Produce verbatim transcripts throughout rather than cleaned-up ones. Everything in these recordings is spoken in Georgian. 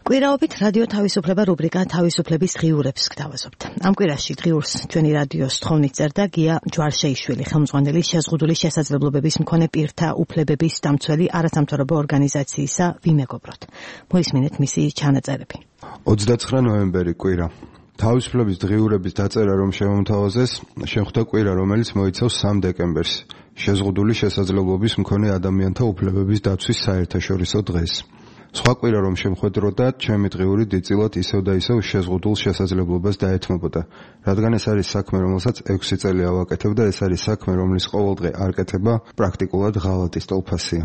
კვირაობით რადიო თავისუფლება რუბრიკა თავისუფლების ღიურებს გთავაზობთ. ამ კვირაში ღიურს ჩვენი რადიოს თხოვნით წერდა გია ჯვარშეიშვილი, ხელმძღვანელი შეზღუდული შესაძლებლობების მქონე პირთა უფლებების დამცველი არასამთავრობო ორგანიზაციისა ვიმეგობროთ. მოისმინეთ მისი ჩანაწერები. ოცდაცხრა ნოემბერი კვირა. თავისუფლების ღიურების დაწერა რომ შემომთავაზეს, შეხვდა კვირა, რომელიც მოიცავს სამ დეკემბერს, შეზღუდული შესაძლებლობის მქონე ადამიანთა უფლებების დაცვის საერთაშორისო დღეს. სხვა კვირა რომ შემხვედროდა, ჩემი დღიური დიდწილად ისევ და ისევ შეზღუდულ შესაძლებლობას დაეთმობოდა, რადგან ეს არის საქმე, რომელსაც ექვსი წელი ავაკეთებ და ეს არის საქმე, რომლის ყოველდღე არ კეთება პრაქტიკულად ღალატის ტოლფასია.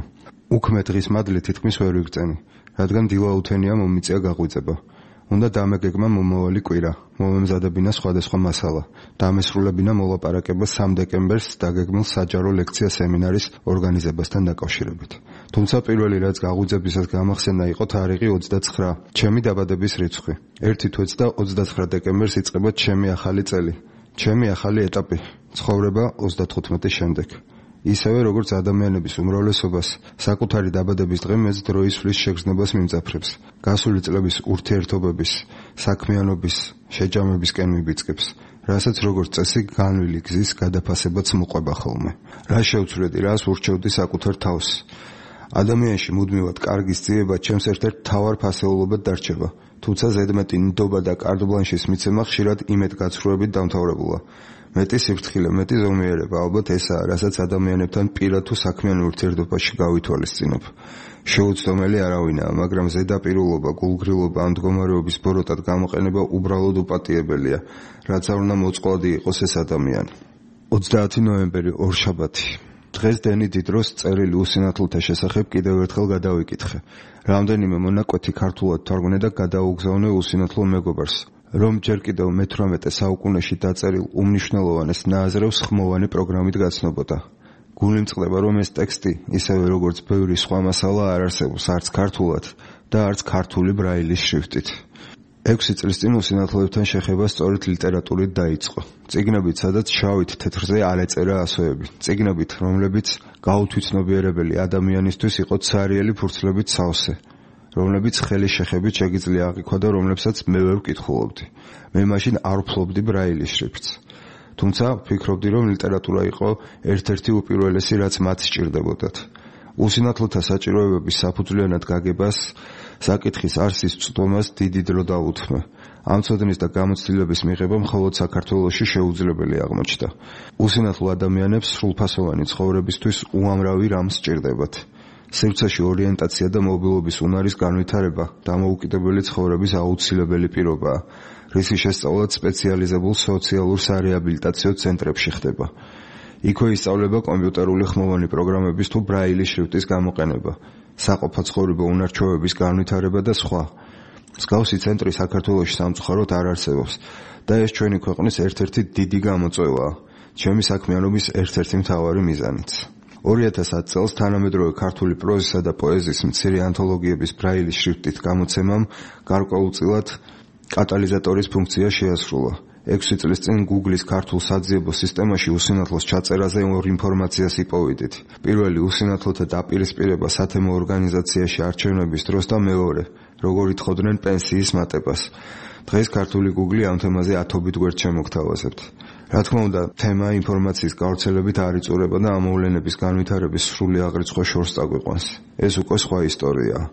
უქმე დღის მადლი თითქმის ვერ ვიგწენი, რადგან დილაუთენია მომიწია გაღვიძება. უნდა დამეგეგმა მომავალი კვირა, მომემზადებინა სხვადასხვა მასალა, დამესრულებინა მოლაპარაკება სამ დეკემბერს დაგეგმილ საჯარო ლექცია სემინარის ორგანიზებასთან დაკავშირებით. თუმცა პირველი რაც გაღვიძებისას გამახსენდა იყო თარიღი ოცდაცხრა, ჩემი დაბადების რიცხვი. ერთი თვეც და ოცდაცხრა დეკემბერს იწყება ჩემი ახალი წელი, ჩემი ახალი ეტაპი, ცხოვრება ოცდათხუთმეტის შემდეგ. ისევე როგორც ადამიანების უმრავლესობას, საკუთარი დაბადების დღე მეც დროის სვლის შეგრძნებას მიმძაფრებს. გასული წლების ურთიერთობების, საქმიანობის, შეჯამებისკენ მიბიძგებს, რასაც როგორც წესი განვლილი გზის გადაფასებაც მოყვება ხოლმე. რა შევცვლედი, რას ურჩევდი საკუთარ თავს? ადამიანში მუდმივად კარგის ძიება ჩემს ერთ-ერთ მთავარ ფასეულობად დარჩება, თუმცა ზედმეტი ნდობა და კარდბლანშის მიცემა ხშირად იმედგაცრუებით დამთავრებულა. მეტი სიფრთხილე, მეტი ზომიერება, ალბათ ესაა, რასაც ადამიანებთან პირად თუ საქმიან ურთიერთობაში გავითვალისწინებ. შეუცდომელი არავინაა, მაგრამ ზედაპირულობა, გულგრილობა ამ მდგომარეობის ბოროტად გამოყენება უბრალოდ უპატიებელია, რაც არ უნდა მოწყვლადი იყოს ეს ადამიანი. ოცდაათი ნოემბერი, ორშაბათი. დღეს დენი დიდროს წერილი უსინათლოთა შესახებ კიდევ ერთხელ გადავიკითხე. რამდენიმე მონაკვეთი ქართულად თარგმნე და გადაუგზავნე უსინათლო მეგობარს, რომ ჯერ კიდევ მეთვრამეტე საუკუნეში დაწერილ უმნიშვნელოვანეს ნააზრევს ხმოვანი პროგრამით გაცნობოდა. გული მწყდება, რომ ეს ტექსტი, ისევე როგორც ბევრი სხვა მასალა არ არსებობს არც ქართულად და არც ქართული ბრაილის შრიფტით. ექვსი წლის წინ უსინათლოებთან შეხება სწორედ ლიტერატურით დაიწყო. წიგნებით, სადაც შავით თეთრზე არ ეწერა ასოები. წიგნებით, რომლებიც გაუთვითნობიერებელი ადამიანისთვის იყო ცარიელი ფურცლებით სავსე, რომლებიც ხელის შეხებით შეგიძლია აღიქვა და რომლებსაც მე ვერ ვკითხულობდი. მე მაშინ არ ვფლობდი ბრაილის შრიფტს. თუმცა ვფიქრობდი, რომ ლიტერატურა იყო ერთ-ერთი უპირველესი, რაც მათ სჭირდებოდათ. უსინათლოთა საჭიროებების საფუძვლიანად გაგებას, საკითხის არსის წვდომას დიდი დრო დაუთმე. ამ ცოდნის და გამოცდილების მიღება მხოლოდ საქართველოში შეუძლებელი აღმოჩნდა. უსინათლო ადამიანებს სრულფასოვანი ცხოვრებისთვის უამრავი რამ სჭირდებათ. სივრცეში ორიენტაცია და მობილობის უნარის განვითარება დამოუკიდებელი ცხოვრების აუცილებელი პირობაა, რისი შესწავლაც სპეციალიზებულ სოციალურ სარეაბილიტაციო ცენტრებში ხდება. იქვე ისწავლება კომპიუტერული ხმოვანი პროგრამების თუ ბრაილის შრიფტის გამოყენება, საყოფაცხოვრებო უნარჩვევების განვითარება და სხვა. მსგავსი ცენტრი საქართველოში სამწუხაროდ არ არსებობს და ეს ჩვენი ქვეყნის ერთ-ერთი დიდი გამოწვევაა, ჩემი საქმიანობის ერთ-ერთი მთავარი მიზანიც. ორი ათას ათი წელს თანამედროვე ქართული პროზისა და პოეზიის მცირე ანთოლოგიების ბრაილის შრიფტით გამოცემამ გარკვეულწილად კატალიზატორის ფუნქცია შეასრულა. ექვსი წლის წინ Google-ის ქართულ საძიებო სისტემაში უსინათლოს ჩაწერაზე ორ ინფორმაციას იპოვიდით. პირველი უსინათლოთა დაპირისპირება სათემო ორგანიზაციაში არჩევნების დროს და მეორე, როგორ ითხოვდნენ პენსიის მატებას. დღეს ქართული Google ამ თემაზე ათობით გვერდ შემოგთავაზებთ. რა თქმა უნდა, თემა ინფორმაციის გავრცელებით არ იწურება და ამ მოვლენების განვითარების სრული აღრიცხვა შორს წაგვიყვანს. ეს უკვე სხვა ისტორიაა.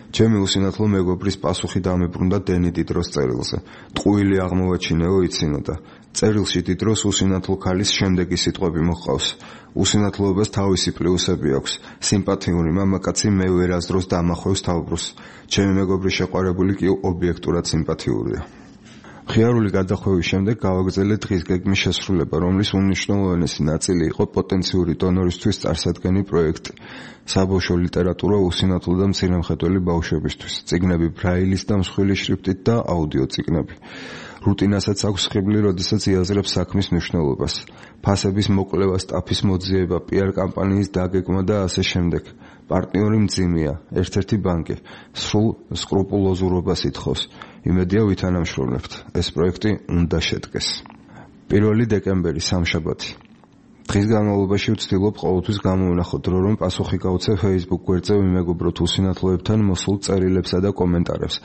ჩემი უსინათლო მეგობრის პასუხი დამებრუნდა დენი დიდროს წერილზე. ტყუილი აღმოვაჩინეო იცინოდა. წერილში დიდროს უსინათლო ქალის შემდეგი სიტყვები მოჰყავს. უსინათლოებას თავისი პლუსები აქვს. სიმპათიური მამაკაცი მე ვერასდროს დამახვევს თავბრუსს. ჩემი მეგობრის შეყვარებული კი ობიექტურად სიმპათიურია. ხიარული გადახვევის შემდეგ გავაგრძელე დღის გეგმის შესრულება, რომლის უმნიშვნელოვანესი ნაწილი იყო პოტენციური დონორისთვის წარსადგენი პროექტი. საბავშვო ლიტერატურა უსინათლო და მცირემხედველი ბავშვებისთვის, წიგნები ბრაილის და მსხვილი შრიფტით და აუდიო წიგნები. რუტინასაც აქვს ხიბლი, როდესაც იაზრებს საქმის მნიშვნელობას. ფასების მოკლევა, სტაფის მოძიება, პიარ კამპანიის დაგეგმა და ასე შემდეგ. პარტნიორი მძიმეა, ერთ-ერთი ბანკი, სრულ სკრუპულოზურობას ითხოვს. იმედია ვითანამშრომლებთ. ეს პროექტი უნდა შედგეს. პირველი დეკემბერი, სამშაბათი. დღის განმავლობაში ვცდილობ ყოველთვის გამოვნახოთ დრო, რომ პასუხი გავცე Facebook გვერდზე ვიმეგობროთ უსინათლოებთან მოსულ წერილებსა და კომენტარებს.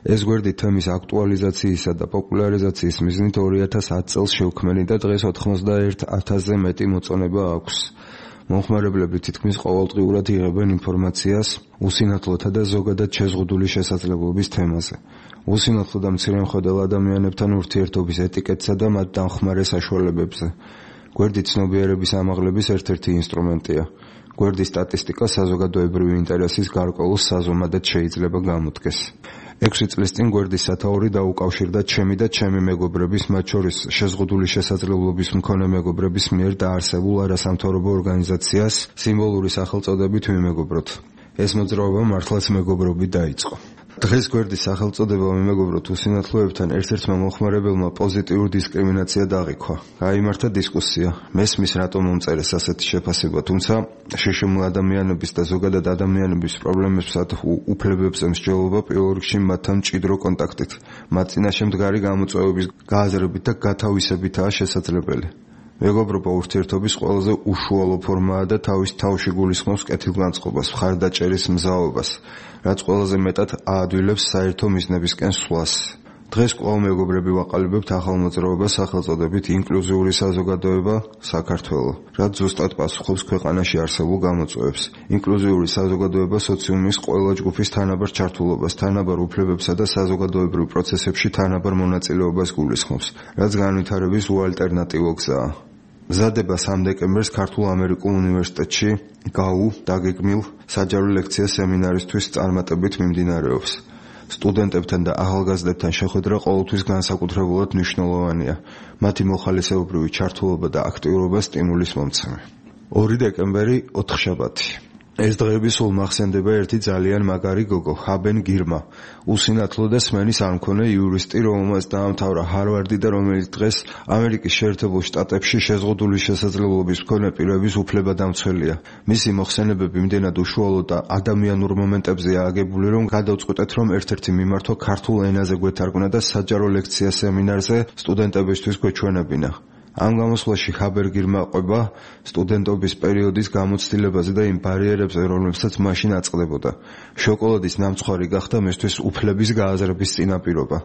ეს გვერდი თემის აქტუალიზაციისა და პოპულარიზაციის მიზნით ორი ათას ათი წელს შევქმნი და დღეს ოცდაერთ ათასზე მეტი მოწონება აქვს. მომხმარებლები თითქმის ყოველდღიურად იღებენ ინფორმაციას უსინათლოთა და ზოგადად შეზღუდული შესაძლებლობის თემაზე. უსინათლო და მცირემხედველ ადამიანებთან ურთიერთობის ეტიკეტსა და მათ დამხმარე საშუალებებზე. გვერდი ცნობიერების ამაღლების ერთ-ერთი ინსტრუმენტია. გვერდის სტატისტიკა საზოგადოებრივი ინტერესის გარკვეულ საზომადად შეიძლება გამოდგეს. ექვსი წლის წინ გვერდის სათაური დაუკავშირდა ჩემი და ჩემი მეგობრების, მათ შორის შეზღუდული შესაძლებლობის მქონე მეგობრების მიერ დაარსებულ არასამთავრობო ორგანიზაციას სიმბოლური სახელწოდებით ვიმეგობროთ. ეს მოძრაობა მართლაც მეგობრობით დაიწყო. დღეს გვერდის სახელწოდება ვიმეგობროთ უსინათლოებთან ერთ-ერთმა მომხმარებელმა პოზიტიურ დისკრიმინაცია დაღიქვა. გაიმართა დისკუსია. მესმის რატომ მომწერეს ასეთი შეფასება, თუმცა შეშმულ ადამიანების და ზოგადად ადამიანების პრობლემებსა და უფლებებზე მსჯელობა პირველ რიგში მათთან მჭიდრო კონტაქტით, მათ წინაშე მდგარი გამოწვევების გააზრებით და გათავისებითაა შესაძლებელი. მეგობრობა ურთიერთობის ყველაზე უშუალო ფორმაა და თავის თავში გულისხმობს კეთილგანწყობას, მხარდაჭერის მზაობას, რაც ყველაზე მეტად აადვილებს საერთო მიზნებისკენ სვლას. დღეს კვლავ მეგობრები ვაყალიბებთ ახალ მოძრაობას სახელწოდებით ინკლუზიური საზოგადოება საქართველო, რაც ზუსტად პასუხობს ქვეყანაში არსებულ გამოწვევებს. ინკლუზიური საზოგადოება სოციუმის ყველა ჯგუფის თანაბარ ჩართულობას, თანაბარ უფლებებსა და საზოგადოებრივ პროცესებში თანაბარ მონაწილეობას გულისხმობს, რაც განვითარების უალტერნატივო გზაა. მზადება სამ დეკემბერს ქართულ-ამერიკულ უნივერსიტეტში გაუ დაგეგმილ საჯარო ლექცია სემინარისთვის წარმატებით მიმდინარეობს. სტუდენტებთან და ახალგაზრდებთან შეხვედრა ყოველთვის განსაკუთრებულად მნიშვნელოვანია. მათი მოხალისეობრივი ჩართულობა და აქტიურობა სტიმულის მომცემი. ორი დეკემბერი ოთხშაბათი. ეს დღეები სულ მახსენდება ერთი ძალიან მაგარი გოგო, ჰაბენ გირმა, უსინათლო და სმენის არ მქონე იურისტი, რომელმაც დაამთავრა ჰარვარდი და რომელიც დღეს ამერიკის შეერთებულ შტატებში შეზღუდული შესაძლებლობის მქონე პირების უფლებადამცველია. მისი მოხსენებები იმდენად უშუალო და ადამიანურ მომენტებზეა აგებული, რომ გადავწყვეტეთ, რომ ერთ-ერთი მიმართვა ქართულ ენაზე გვეთარგმნა და საჯარო ლექცია სემინარზე სტუდენტებისთვის გვეჩვენებინა. ამ გამოსვლაში ჰაბენ გირმა ყვება სტუდენტობის პერიოდის გამოცდილებაზე და იმ ბარიერებზე, რომლებსაც მაშინ აწყდებოდა. შოკოლადის ნამცხვარი გახდა მისთვის უფლების გააზრების წინაპირობა.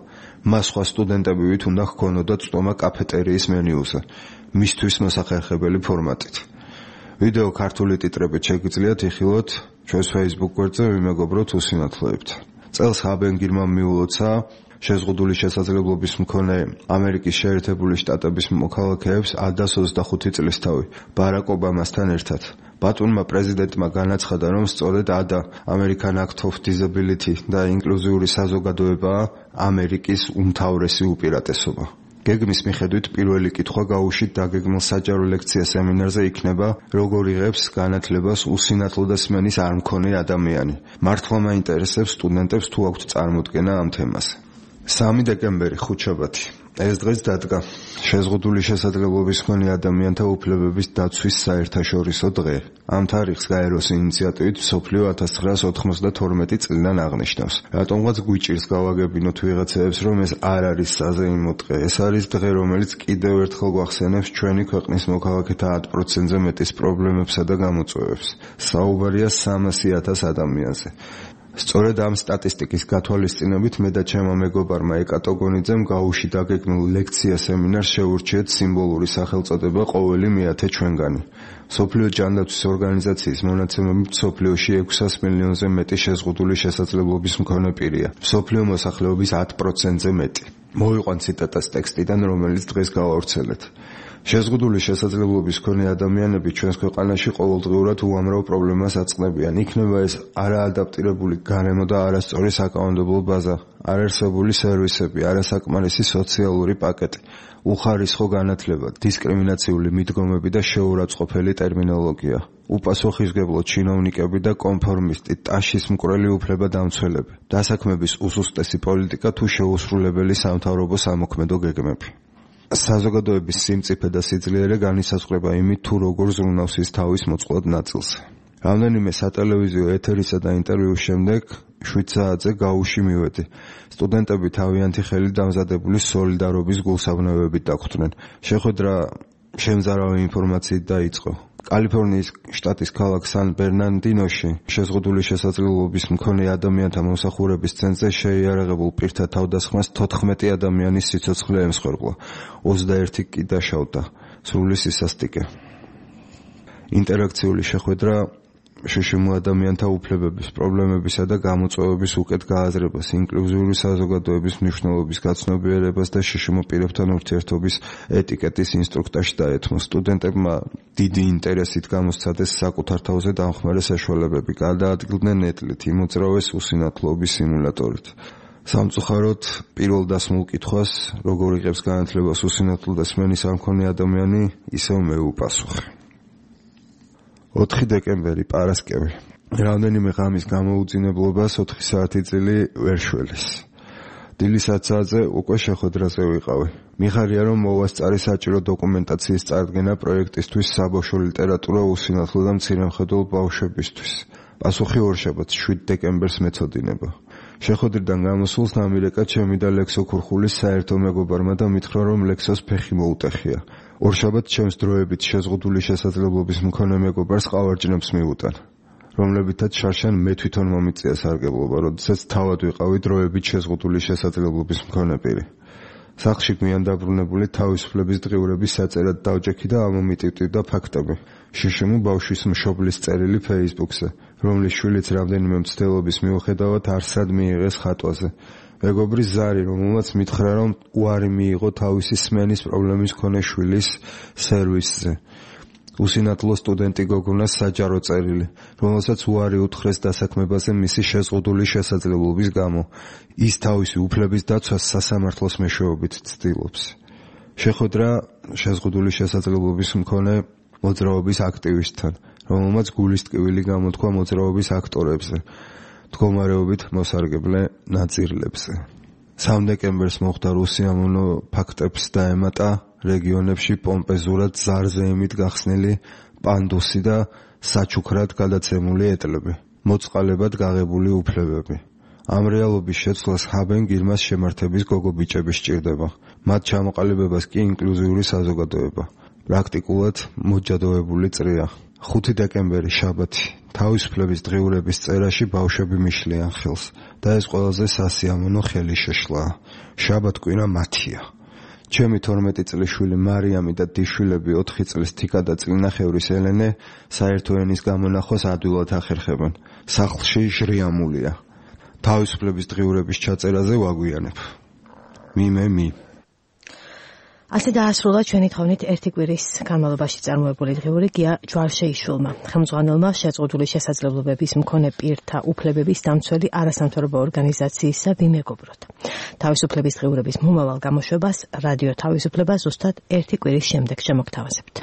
მას სხვა სტუდენტებივით უნდა ჰქონოდა წვდომა კაფეტერიის მენიუზე, მისთვის მოსახერხებელი ფორმატით. ვიდეო ქართული ტიტრებით შეგიძლიათ იხილოთ ჩვენს Facebook გვერდზე ვიმეგობროთ უსინათლოებთან. წელს ჰაბენ გირმამ მიულოცა შეზღუდული შესაძლებლობის მქონე ამერიკის შეერთებული შტატების მოქალაქეებს ადას ოცდახუთი წლისთავი ბარაკ ობამასთან ერთად. ბატონმა პრეზიდენტმა განაცხადა, რომ სწორედ ადა American Act of Disability და ინკლუზიური საზოგადოებაა ამერიკის უმთავრესი უპირატესობა. გეგმის მიხედვით პირველი კითხვა გაუშვით დაგეგმილ საჯარო ლექცია სემინარზე იქნება, როგორ იღებს განათლებას უსინათლო და სმენის არ მქონე ადამიანი. მართლა მაინტერესებს სტუდენტებს თუ აქვთ წარმოდგენა ამ თემაზე. სამი დეკემბერი ხუთშაბათი. ეს დღეს დადგა შეზღუდული შესაძლებლობის მქონე ადამიანთა უფლებების დაცვის საერთაშორისო დღე. ამ თარიღს გაეროს ინიციატივით მსოფლიო ათას ცხრაას ოთხმოცდათორმეტი წლიდან აღნიშნავს. რატომღაც გვიჭირს გავაგებინოთ ვიღაცებს, რომ ეს არ არის საზეიმო დღე. ეს არის დღე, რომელიც კიდევ ერთხელ გვახსენებს ჩვენი ქვეყნის მოქალაქეთა ათ პროცენტზე მეტის პრობლემებსა და გამოწვევებს. საუბარია სამასი ათას ადამიანზე. სწორედ ამ სტატისტიკის გათვალისწინებით მე და ჩემო მეგობარმა ეკატო გონიძემ გაუში დაგეგმილ ლექცია სემინარს შეურჩიეთ სიმბოლური სახელწოდება ყოველი მეათე ჩვენგანი. მსოფლიო ჯანდაცვის ორგანიზაციის მონაცემებით მსოფლიოში ექვსას მილიონზე მეტი შეზღუდული შესაძლებლობის მქონე პირია. მსოფლიო მოსახლეობის ათ პროცენტზე მეტი. მოვიყვან ციტატას ტექსტიდან, რომელიც დღეს გავავრცელეთ. შეზღუდული შესაძლებლობის მქონე ადამიანები ჩვენს ქვეყანაში ყოველდღიურად უამრავ პრობლემას აწყდებიან. იქნება ეს არაადაპტირებული გარემო და არასწორი საკანონმდებლო ბაზა, არარსებული სერვისები, არასაკმარისი სოციალური პაკეტი, უხარისხო განათლება, დისკრიმინაციული მიდგომები და შეურაცხყოფელი ტერმინოლოგია, უპასუხისმგებლო ჩინოვნიკები და კონფორმისტი, ტაშის მკვრელი უფლებადამცველები, დასაქმების უსუსტესი პოლიტიკა თუ შეუსრულებელი სამთავრობო სამოქმედო გეგმები. საზოგადოების სიმწიფე და სიძლიერე განისაზღვრება იმით, თუ როგორ ზრუნავს ის თავის მოწყვლად ნაწილზე. რამდენიმე სატელევიზიო ეთერისა და ინტერვიუს შემდეგ შვიდ საათზე გაუში მივედი. სტუდენტები თავიანთი ხელით დამზადებული სოლიდარობის გულსაბნევებით დაგვხვდნენ. შეხვედრა შემზარავი ინფორმაციით დაიწყო. კალიფორნიის შტატის ქალაქ სან-ბერნარდინოში შეზღუდული შესაძლებლობის მქონე ადამიანთა მომსახურების ცენტრზე შეიარაღებულ პირთა თავდასხმას თოთხმეტი ადამიანის სიცოცხლე ემსხვერპლა, ოცდაერთი კი დაშავდა, სრული სისასტიკე. ინტერაქციული შეხვედრა შშმ ადამიანთა უფლებების, პრობლემებისა და გამოწვევების უკეთ გააზრებას, ინკლუზიური საზოგადოების მნიშვნელობის გაცნობიერებას და შშმ პირებთან ურთიერთობის ეტიკეტის ინსტრუქტაჟს დაეთმო. სტუდენტებმა დიდი ინტერესით გამოსცადეს საკუთარ თავზე დამხმარე საშუალებები, გადაადგილდნენ ნეტლით, იმოძრავეს უსინათლოების სიმულატორით. სამწუხაროდ, პირველ დასმულ კითხვას, როგორ იღებს განათლებას უსინათლო და სმენის არ მქონე ადამიანი, ისევ მე ვუპასუხე. ოთხი დეკემბერი, პარასკევი. რამდენიმე ღამის გამოუძინებლობას ოთხი საათი წილი ვერ შველის. დილის ათ საათზე უკვე შეხვედრაზე ვიყავი. მიხარია, რომ მოვასწარი საჭირო დოკუმენტაციის წარდგენა პროექტისთვის საბავშვო ლიტერატურა უსინათლო და მცირემხედველ ბავშვებისთვის. პასუხი ორშაბათს, შვიდ დეკემბერს მეცოდინება. შეხვედრიდან გამოსულს ამირეკა ჩემი და ლექსო ქურხულის საერთო მეგობარმა და მითხრა, რომ ლექსოს ფეხი მოუტეხია. ორშაბათს ჩემს დროებით შეზღუდული შესაძლებლობის მქონე მეგობარს ყავარჯნებს მიუტან, რომლებითაც შარშან მე თვითონ მომიწია სარგებლობა, როდესაც თავად ვიყავი დროებით შეზღუდული შესაძლებლობის მქონე პირი. სახლში გვიან დაბრუნებული თავისუფლების დღიურების საწერად დავჯექი და ამომიტივტივდა ფაქტები. შშმ ბავშვის მშობლის წერილი ფეისბუქზე, რომლის შვილიც რამდენიმე მცდელობის მიუხედავად არსად მიიღეს ხატვაზე. მეგობრის ზარი, რომელმაც მითხრა, რომ უარი მიიღო თავისი სმენის პრობლემის მქონე შვილის სერვისზე. უსინათლო სტუდენტი გოგონას საჯარო წერილი, რომელსაც უარი უთხრეს დასაქმებაზე მისი შეზღუდული შესაძლებლობის გამო. ის თავისი უფლების დაცვას სასამართლოს მეშვეობით ცდილობს. შეხვედრა შეზღუდული შესაძლებლობის მქონე მოძრაობის აქტივისტთან, რომელმაც გულის ტკივილი გამოთქვა მოძრაობის აქტორებზე. მდგომარეობით მოსარგებლე ნაწილებზე. სამ დეკემბერს მოხდა რუსიამონო ფაქტებს დაემატა რეგიონებში პომპეზურად ზარზეიმით გახსნილი პანდუსი და საჩუქრად გადაცემული ეტლები, მოწყალებად გაღებული უფლებები. ამ რეალობის შეცვლას ჰაბენ-გირმას შემართების გოგო-ბიჭები სჭირდება. მათ ჩამოყალიბებას კი ინკლუზიური საზოგადოება. პრაქტიკულად მოჯადოებული წრია. ხუთი დეკემბერი, შაბათი. თავისუფლების დღიურების წერაში ბავშვები მიშლიან ხელს და ეს ყველაზე სასიამოვნო ხელი შეშლაა. შაბათ-კვირა მათია. ჩემი თორმეტი წლის შვილი მარიამი და დიშვილები ოთხი წლის თიკა და წლინახევრის ელენე საერთო ენის გამონახოს ადვილად ახერხებენ. სახლში ჟრიამულია. თავისუფლების დღიურების ჩაწერაზე ვაგვიანებ. მიმე მი ასე დაასრულა ჩვენი თავნით ერთი კვირის განმავლობაში წარმოებული დღიური გია ჯვარშეიშვილმა, ხელმძღვანელმა შეზღუდული შესაძლებლობების მქონე პირთა უფლებების დამცველი არასამთავრობო ორგანიზაციისა ვიმეგობროთ. თავისუფლების დღიურების მომავალ გამოშვებას რადიო თავისუფლება ზუსტად ერთი კვირის შემდეგ შემოგთავაზებთ.